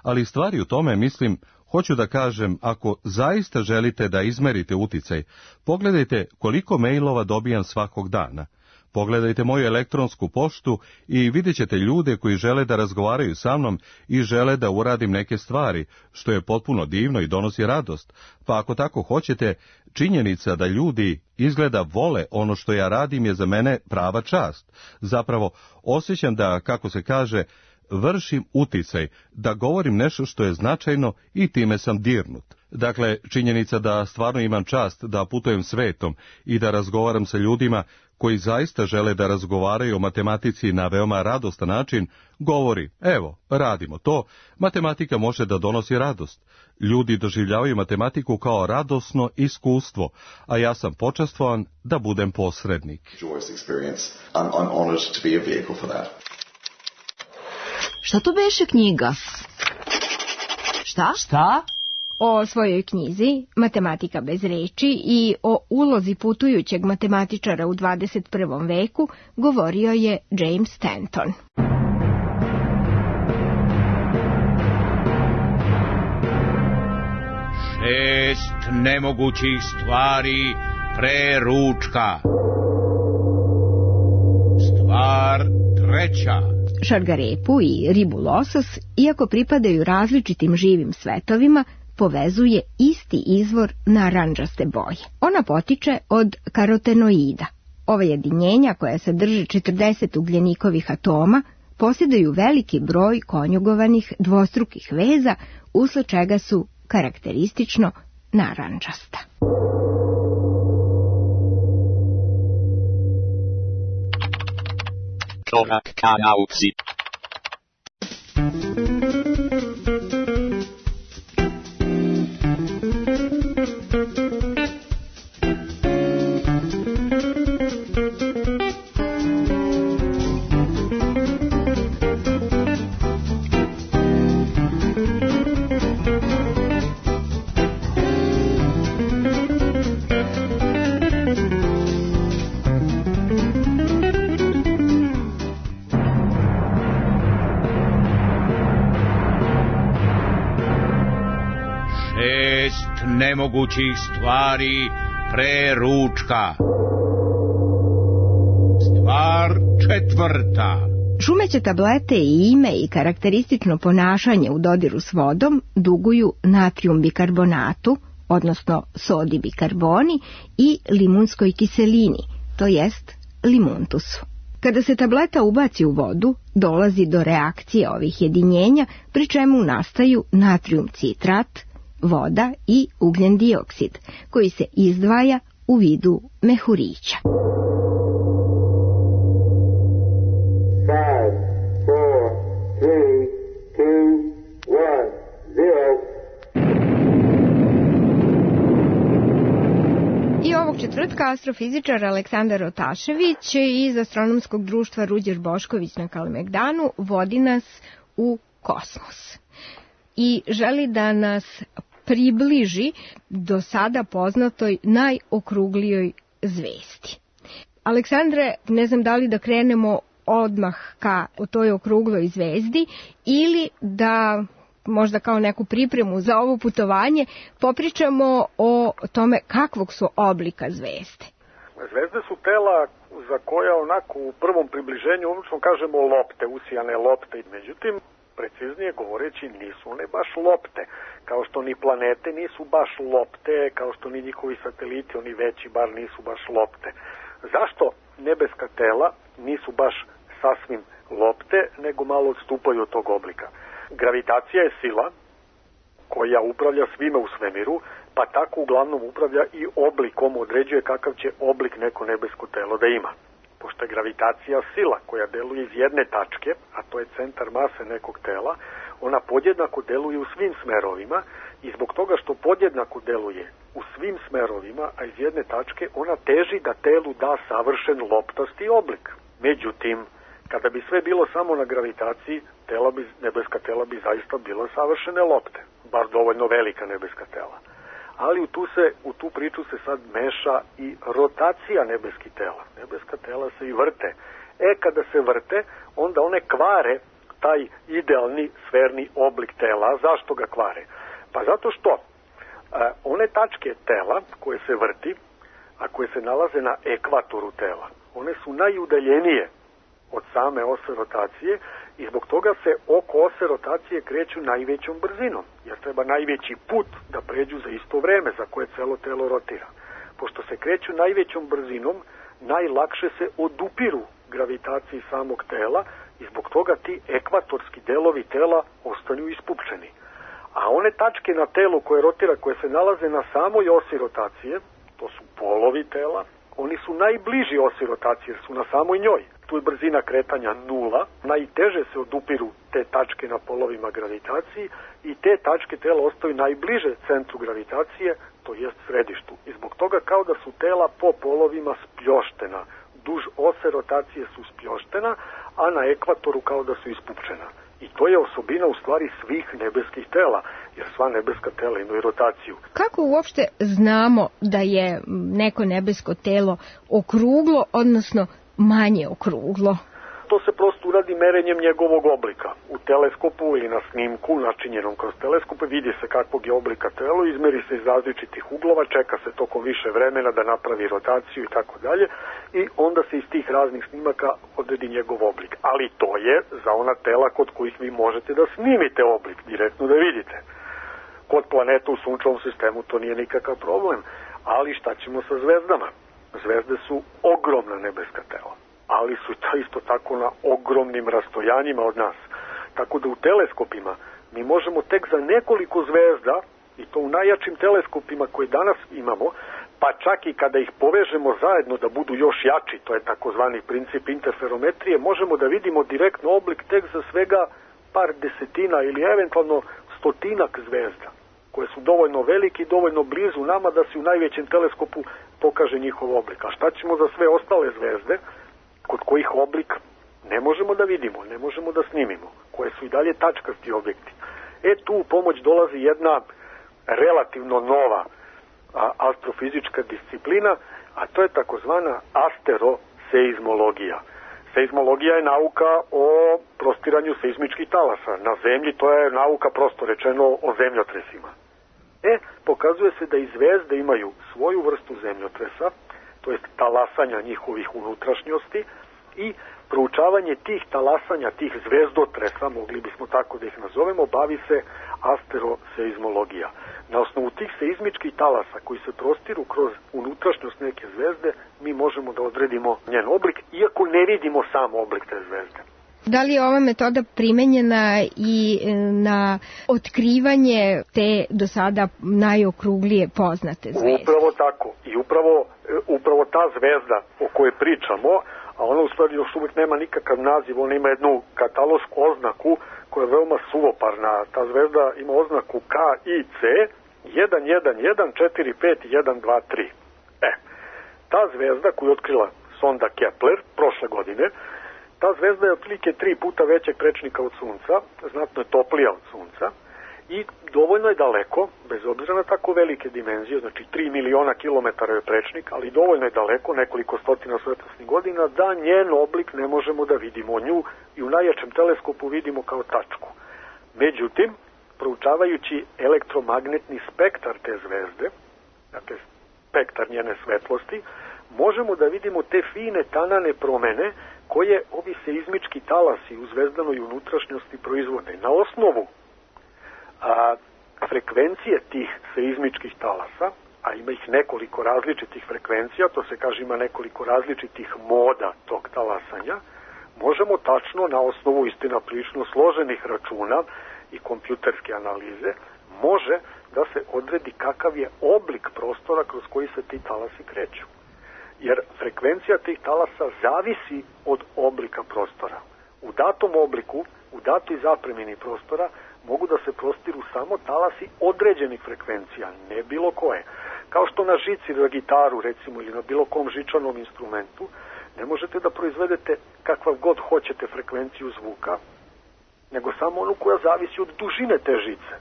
Ali stvari u tome, mislim, hoću da kažem, ako zaista želite da izmerite uticaj, pogledajte koliko mailova dobijam svakog dana. Pogledajte moju elektronsku poštu i vidjet ćete ljude koji žele da razgovaraju sa mnom i žele da uradim neke stvari, što je potpuno divno i donosi radost. Pa ako tako hoćete, činjenica da ljudi izgleda vole ono što ja radim je za mene prava čast. Zapravo, osjećam da, kako se kaže, vršim uticaj, da govorim nešto što je značajno i time sam dirnut. Dakle, činjenica da stvarno imam čast da putujem svetom i da razgovaram sa ljudima koji zaista žele da razgovaraju o matematici na veoma radostan način, govori, evo, radimo to, matematika može da donosi radost. Ljudi doživljavaju matematiku kao radosno iskustvo, a ja sam počastvovan da budem posrednik. Šta to beše knjiga? Šta? Šta? O svojoj knjizi Matematika bez reči i o ulozi putujućeg matematičara u dvadeset prvom veku govorio je James Stanton. Šest nemogućih stvari pre ručka. Stvar treća. Šargarepu i ribu losos, iako pripadaju različitim živim svetovima, povezuje isti izvor narandžaste boje. Ona potiče od karotenoida. Ova jedinjenja, koja sadrže četrdeset ugljenikovih atoma, posjeduju veliki broj konjugovanih dvostrukih veza, usled čega su karakteristično narandžasta. Korak ka nauci. Nemogućih stvari pre ručka. Stvar četvrta. Šumeće tablete i ime i karakteristično ponašanje u dodiru s vodom duguju natrijum bikarbonatu, odnosno sodi bikarboni, i limunskoj kiselini, to jest limuntusu. Kada se tableta ubaci u vodu, dolazi do reakcije ovih jedinjenja, pri čemu nastaju natrijum citrat, voda i ugljen dioksid, koji se izdvaja u vidu mehurića. Five, four, three, two, one, zero. I ovog četvrtka astrofizičar Aleksandar Otašević iz Astronomskog društva Ruđer Bošković na Kalemegdanu vodi nas u kosmos i želi da nas približi do sada poznatoj najokruglijoj zvezdi. Aleksandre, ne znam da li da krenemo odmah ka toj okrugloj zvezdi ili da možda kao neku pripremu za ovo putovanje popričamo o tome kakvog su oblika zvezde. Zvezde su tela za koja onako u prvom približenju obično kažemo lopte, usijane lopte. Međutim, preciznije govoreći, nisu one baš lopte. Kao što ni planete nisu baš lopte, kao što ni njihovi sateliti, oni veći bar nisu baš lopte. Zašto nebeska tela nisu baš sasvim lopte, nego malo odstupaju od tog oblika? Gravitacija je sila koja upravlja svime u svemiru, pa tako uglavnom upravlja i oblikom, određuje kakav će oblik neko nebesko telo da ima. Pošto je gravitacija sila koja deluje iz jedne tačke, a to je centar mase nekog tela, ona podjednako deluje u svim smerovima i zbog toga što podjednako deluje u svim smerovima, a iz jedne tačke, ona teži da telu da savršen loptasti oblik. Međutim, kada bi sve bilo samo na gravitaciji, tela bi, nebeska tela bi zaista bila savršene lopte, bar dovoljno velika nebeska tela. Ali u tu, se, u tu priču se sad meša i rotacija nebeskih tela. Nebeska tela se i vrte. E, kada se vrte, onda one kvare taj idealni sferni oblik tela. Zašto ga kvare? Pa zato što e, one tačke tela koje se vrti, a koje se nalaze na ekvatoru tela, one su najudaljenije od same ose rotacije i zbog toga se oko ose rotacije kreću najvećom brzinom, jer treba najveći put da pređu za isto vreme za koje celo telo rotira. Pošto se kreću najvećom brzinom, najlakše se odupiru gravitaciji samog tela i zbog toga ti ekvatorski delovi tela ostanu ispupčeni. A one tačke na telu koje rotira, koje se nalaze na samoj osi rotacije, to su polovi tela, oni su najbliži osi rotacije jer su na samoj njoj. Tu je brzina kretanja nula, najteže se odupiru te tačke na polovima gravitaciji i te tačke tela ostaju najbliže centru gravitacije, to jest središtu. I zbog toga kao da su tela po polovima spljoštena, duž ose rotacije su spljoštena, a na ekvatoru kao da su ispupčena. I to je osobina u stvari svih nebeskih tela, jer sva nebeska tela imaju rotaciju. Kako uopšte znamo da je neko nebesko telo okruglo, odnosno manje okruglo? To se prosto uradi merenjem njegovog oblika. U teleskopu ili na snimku načinjenom kroz teleskope vidi se kakvog je oblika telo, izmeri se iz različitih uglova, čeka se tokom više vremena da napravi rotaciju i tako dalje i onda se iz tih raznih snimaka odredi njegov oblik. Ali to je za ona tela kod kojih vi možete da snimite oblik, direktno da vidite. Kod planeta u sunčevom sistemu to nije nikakav problem, ali šta ćemo sa zvezdama? Zvezde su ogromna nebeska tela, ali su to isto tako na ogromnim rastojanjima od nas. Tako da u teleskopima mi možemo tek za nekoliko zvezda, i to u najjačim teleskopima koje danas imamo, pa čak i kada ih povežemo zajedno da budu još jači, to je takozvani princip interferometrije, možemo da vidimo direktno oblik tek za svega par desetina ili eventualno stotinak zvezda, koje su dovoljno veliki i dovoljno blizu nama da se u najvećem teleskopu pokaže njihov oblik. A šta ćemo za sve ostale zvezde, kod kojih oblik ne možemo da vidimo, ne možemo da snimimo, koje su i dalje tačkasti objekti? E tu u pomoć dolazi jedna relativno nova a, astrofizička disciplina, a to je takozvana asteroseizmologija. Seizmologija je nauka o prostiranju seizmičkih talasa. Na zemlji to je nauka, prosto rečeno, o zemljotresima. E, pokazuje se da i zvezde imaju svoju vrstu zemljotresa, to jest talasanja njihovih unutrašnjosti, i Proučavanje tih talasanja, tih zvezdotresa, mogli bismo tako da ih nazovemo, bavi se asteroseizmologija. Na osnovu tih seizmičkih talasa koji se prostiru kroz unutrašnjost neke zvezde, mi možemo da odredimo njen oblik, iako ne vidimo sam oblik te zvezde. Da li je ova metoda primenjena i na otkrivanje te do sada najokruglije poznate zvezde? Upravo tako. I upravo, upravo ta zvezda o kojoj pričamo, a ona u stvari još uvijek nema nikakav naziv, ona ima jednu katalošku oznaku koja je veoma suvoparna. Ta zvezda ima oznaku K I C jedan jedan jedan četiri pet jedan dva tri. E, ta zvezda koju je otkrila sonda Kepler prošle godine, ta zvezda je otprilike tri puta većeg prečnika od Sunca, znatno je toplija od Sunca i dovoljno je daleko, bez obzira na tako velike dimenzije, znači tri miliona kilometara je prečnik, ali dovoljno je daleko, nekoliko stotina svetlosnih godina, da njen oblik ne možemo da vidimo. Nju i u najjačem teleskopu vidimo kao tačku. Međutim, proučavajući elektromagnetni spektar te zvezde, dakle spektar njene svetlosti, možemo da vidimo te fine tanane promene koje ovi seizmički talasi u zvezdanoj unutrašnjosti proizvode. Na osnovu a, frekvencije tih seizmičkih talasa, a ima ih nekoliko različitih frekvencija, to se kaže ima nekoliko različitih moda tog talasanja, možemo tačno na osnovu istina prilično složenih računa i kompjuterske analize, može da se odredi kakav je oblik prostora kroz koji se ti talasi kreću. Jer frekvencija tih talasa zavisi od oblika prostora. U datom obliku, u datoj zapremini prostora, mogu da se prostiru samo talasi određenih frekvencija, ne bilo koje. Kao što na žici na gitaru, recimo, ili na bilo kom žičanom instrumentu, ne možete da proizvedete kakvav god hoćete frekvenciju zvuka, nego samo onu koja zavisi od dužine te žice.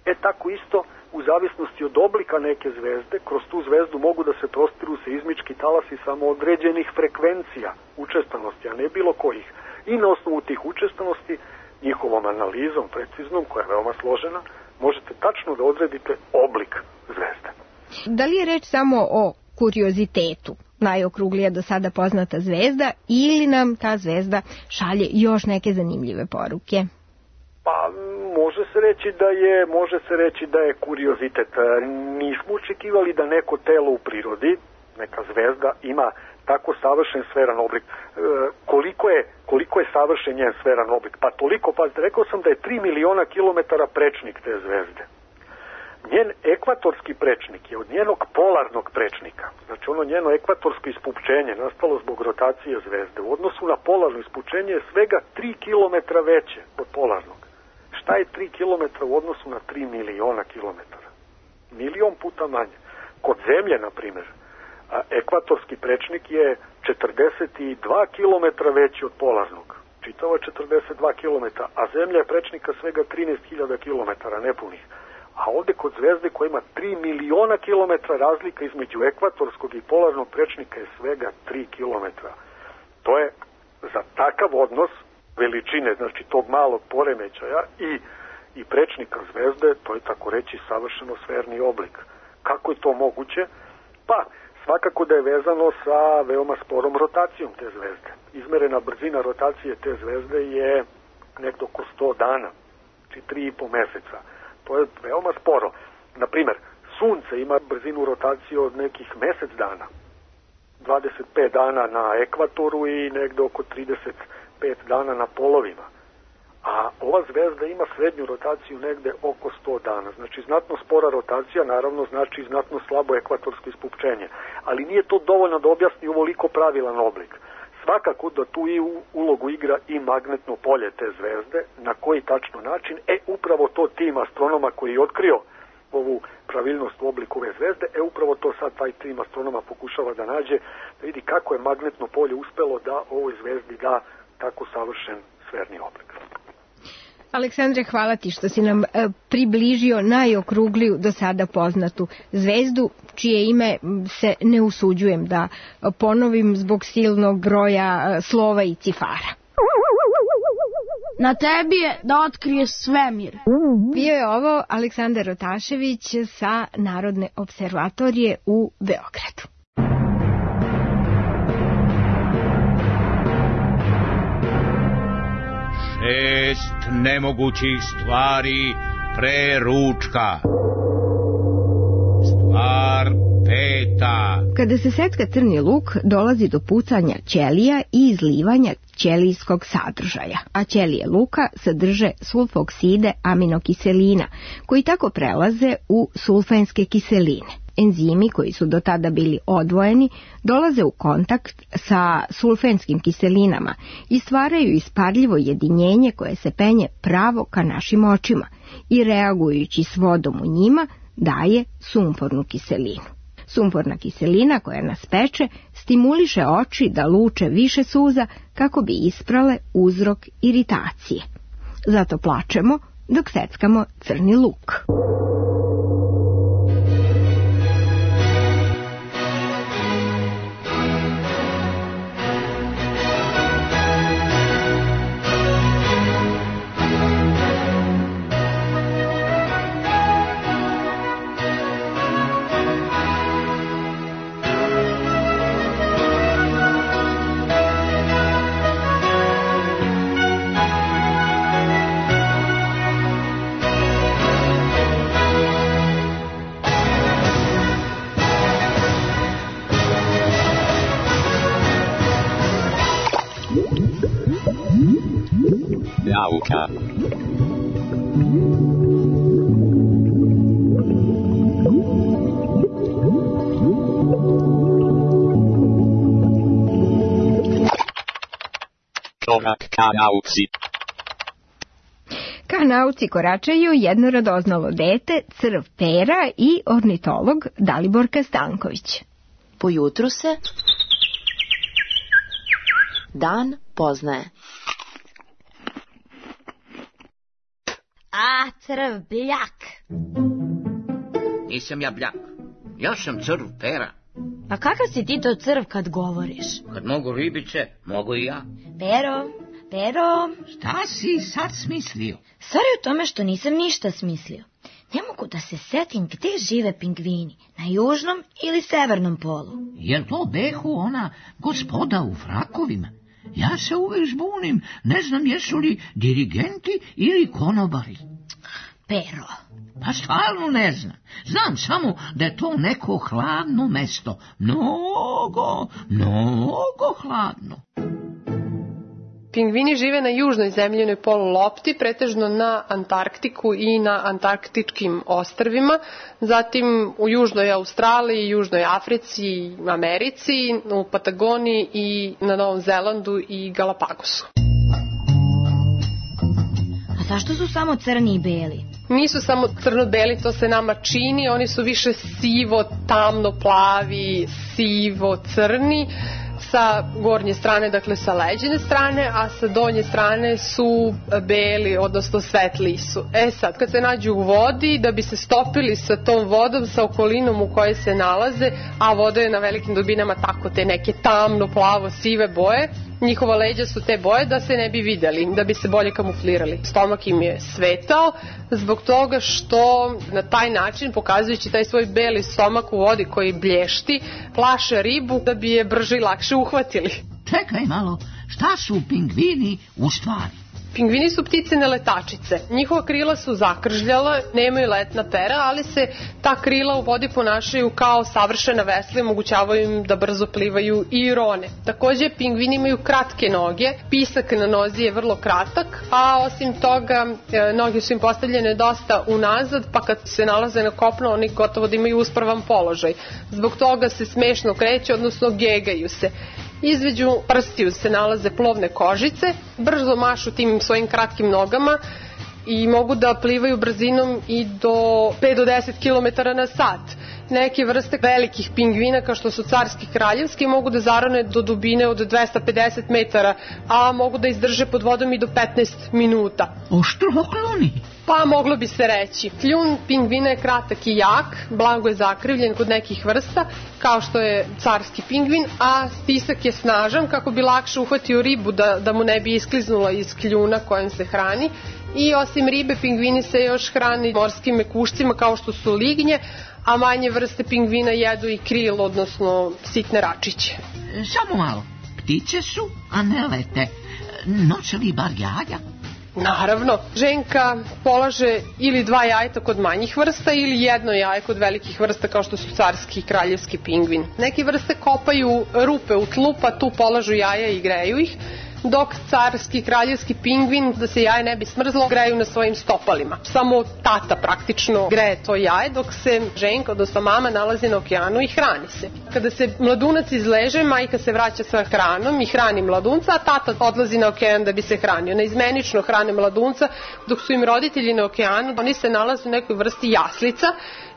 E tako isto, u zavisnosti od oblika neke zvezde, kroz tu zvezdu mogu da se prostiru seizmički talasi samo određenih frekvencija, učestanosti, a ne bilo kojih. I na osnovu tih učestanosti, njihovom analizom preciznom, koja je veoma složena, možete tačno da odredite oblik zvezde. Da li je reč samo o kuriozitetu, najokruglija do sada poznata zvezda, ili nam ta zvezda šalje još neke zanimljive poruke? Pa može se reći da je, može se reći da je kuriozitet. Nismo očekivali da neko telo u prirodi, neka zvezda, ima tako savršen sferan oblik. E, koliko je, koliko je savršen njen sferan oblik? Pa toliko, pa rekao sam da je tri miliona kilometara prečnik te zvezde. Njen ekvatorski prečnik je od njenog polarnog prečnika, znači ono njeno ekvatorsko ispučenje nastalo zbog rotacije zvezde, u odnosu na polarno ispučenje je svega tri kilometra veće od polarnog. Šta je tri kilometra u odnosu na tri miliona kilometara? Milion puta manje. Kod Zemlje, na primjer, ekvatorski prečnik je četrdeset dva kilometra veći od polarnog. Čitavo je četrdeset dva kilometra, a Zemlja je prečnika svega trinaest hiljada kilometara nepunih. A ovdje kod zvezde koja ima tri miliona kilometra razlika između ekvatorskog i polarnog prečnika je svega tri kilometra. To je za takav odnos veličine, znači tog malog poremećaja i, i prečnika zvezde, to je tako reći savršeno sferni oblik. Kako je to moguće? Pa, svakako da je vezano sa veoma sporom rotacijom te zvezde. Izmerena brzina rotacije te zvezde je nekdo oko sto dana, znači tri i po meseca. To je veoma sporo. Naprimjer, Sunce ima brzinu rotacije od nekih mesec dana. dvadeset pet dana na ekvatoru i negde oko trideset pet dana na polovima. A ova zvezda ima srednju rotaciju negde oko sto dana. Znači, znatno spora rotacija, naravno, znači znatno slabo ekvatorsko ispupčenje. Ali nije to dovoljno da objasni ovoliko pravilan oblik. Svakako da tu i ulogu igra i magnetno polje te zvezde, na koji tačno način, e upravo to tim astronoma koji je otkrio ovu pravilnost u obliku ove zvezde, e upravo to sad taj tim astronoma pokušava da nađe, da vidi kako je magnetno polje uspelo da ovoj zvezdi da tako savršen sferni oblik. Aleksandre, hvala ti što si nam e, približio najokrugliju do sada poznatu zvezdu, čije ime se ne usuđujem da ponovim zbog silnog broja e, slova i cifara. Na tebi je da otkrije svemir. Bio je ovo Aleksandar Otašević sa Narodne observatorije u Beogradu. Šest nemogućih stvari pre ručka. Stvar peta. Kada se secka crni luk, dolazi do pucanja ćelija i izlivanja ćelijskog sadržaja, a ćelije luka sadrže sulfokside aminokiselina, koji tako prelaze u sulfenske kiseline. Enzimi koji su do tada bili odvojeni dolaze u kontakt sa sulfenskim kiselinama i stvaraju isparljivo jedinjenje koje se penje pravo ka našim očima i reagujući s vodom u njima daje sumpornu kiselinu. Sumporna kiselina koja nas peče stimuliše oči da luče više suza kako bi isprale uzrok iritacije. Zato plačemo dok seckamo crni luk. Nauka. Korak ka nauci. Ka nauci koračaju jedno radoznalo dete, crv Pera i ornitolog Daliborka Stanković. Po jutru se dan poznaje. A, crv bljak. Nisam ja bljak. Ja sam crv Pera. A kakav si ti to crv kad govoriš? Kad mogu ribice, mogu i ja. Pero, Pero... Šta si sad smislio? Stvar je u tome što nisam ništa smislio. Ne mogu da se setim gde žive pingvini, na južnom ili severnom polu. Jel to behu ona gospoda u frakovima? Ja se uvek zbunim, ne znam jesu li dirigenti ili konobari. Pero. Pa stvarno ne znam. Znam samo da je to neko hladno mesto. Mnogo, mnogo hladno. Pingvini žive na južnoj zemljinoj polulopti, pretežno na Antarktiku i na antarktičkim ostrvima, zatim u južnoj Australiji, južnoj Africi, Americi, u Patagoniji i na Novom Zelandu i Galapagosu. A zašto su samo crni i beli? Nisu samo crno-beli, to se nama čini, oni su više sivo, tamno, plavi, sivo, crni. Sa gornje strane, dakle sa leđine strane, a sa donje strane su beli, odnosno svetli su. E sad, kad se nađu u vodi, da bi se stopili sa tom vodom, sa okolinom u kojoj se nalaze, a voda je na velikim dubinama tako te neke tamno, plavo, sive boje, njihova leđa su te boje da se ne bi videli, da bi se bolje kamuflirali. Stomak im je svetao zbog toga što na taj način, pokazujući taj svoj beli stomak u vodi koji blješti, plaše ribu da bi je brže i lakše uhvatili. Čekaj malo, šta su pingvini u stvari? Pingvini su ptice neletačice. Njihova krila su zakržljala, nemaju letna pera, ali se ta krila u vodi ponašaju kao savršena vesla i omogućavaju im da brzo plivaju i rone. Takođe, pingvini imaju kratke noge, pisak na nozi je vrlo kratak, a osim toga noge su im postavljene dosta unazad, pa kad se nalaze na kopnu oni gotovo da imaju uspravan položaj. Zbog toga se smešno kreću, odnosno gegaju se. Između prstiju se nalaze plovne kožice, brzo mašu tim svojim kratkim nogama i mogu da plivaju brzinom i do pet do deset kilometara na sat. Neke vrste velikih pingvina, kao što su carski kraljevski, mogu da zarone do dubine od dvesta pedeset metara, a mogu da izdrže pod vodom i do petnaest minuta. Oštrokloni? Pa moglo bi se reći. Kljun pingvina je kratak i jak, blago je zakrivljen kod nekih vrsta, kao što je carski pingvin, a stisak je snažan kako bi lakše uhvatio ribu da, da mu ne bi iskliznula iz kljuna kojem se hrani. I osim ribe, pingvini se još hrani morskim mekušcima kao što su lignje, a manje vrste pingvina jedu i kril, odnosno sitne račiće. Samo malo, ptice su, a ne lete. Noće li bar jaja? Naravno, ženka polaže ili dva jajeta kod manjih vrsta ili jedno jaje kod velikih vrsta kao što su carski i kraljevski pingvin. Neke vrste kopaju rupe u tlu pa tu polažu jaja i greju ih, dok carski i kraljevski pingvin, da se jaje ne bi smrzlo, greju na svojim stopalima. Samo tata praktično greje to jaje, dok se ženka, odnosno mama, nalazi na okeanu i hrani se. Kada se mladunac izleže, majka se vraća sa hranom i hrani mladunca, a tata odlazi na okean da bi se hranio. Neizmenično hrane mladunca, dok su im roditelji na okeanu, oni se nalaze u nekoj vrsti jaslica,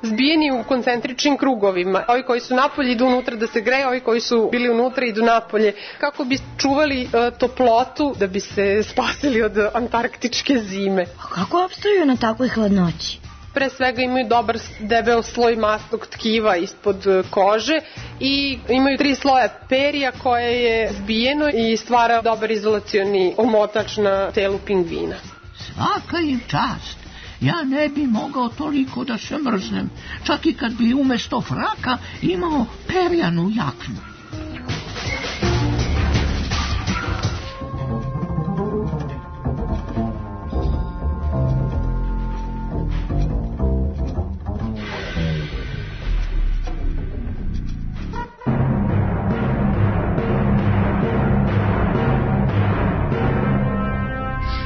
zbijeni u koncentričnim krugovima. Ovi koji su napolje idu unutra da se greju, ovi koji su bili unutra idu napolje kako bi čuvali uh, toplotu da bi se spasili od antarktičke zime. A kako opstaju na takvoj hladnoći? Pre svega imaju dobar debel sloj masnog tkiva ispod kože i imaju tri sloja perija koje je zbijeno i stvara dobar izolacioni omotač na telu pingvina. Svaka im čast. Ja ne bi mogao toliko da se mrznem, čak i kad bi umesto fraka imao perjanu jaknu.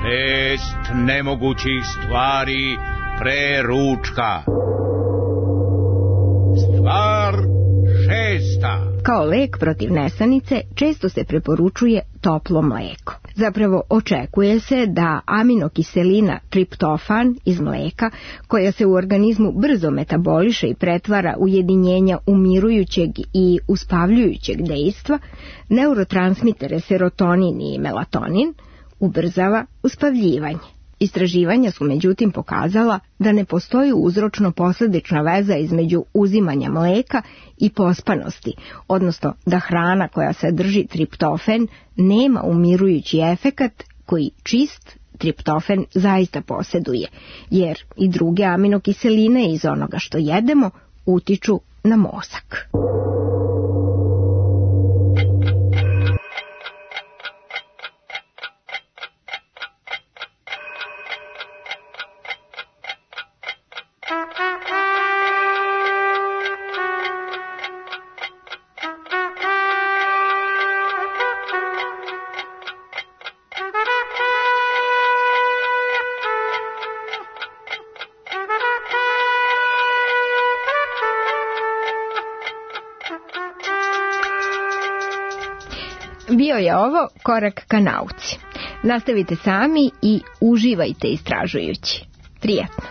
Šest nemogućih stvari pre ručka. Stvar šesta. Kao lek protiv nesanice često se preporučuje toplo mleko. Zapravo očekuje se da aminokiselina triptofan iz mleka, koja se u organizmu brzo metaboliše i pretvara u jedinjenja umirujućeg i uspavljujućeg dejstva, neurotransmitere serotonin i melatonin, ubrzava uspavljivanje. Istraživanja su međutim pokazala da ne postoji uzročno-posledična veza između uzimanja mleka i pospanosti, odnosno da hrana koja sadrži triptofen nema umirujući efekat koji čist triptofen zaista posjeduje, jer i druge aminokiseline iz onoga što jedemo utiču na mozak. Bio je ovo korak ka nauci. Nastavite sami i uživajte istražujući. Prijetno.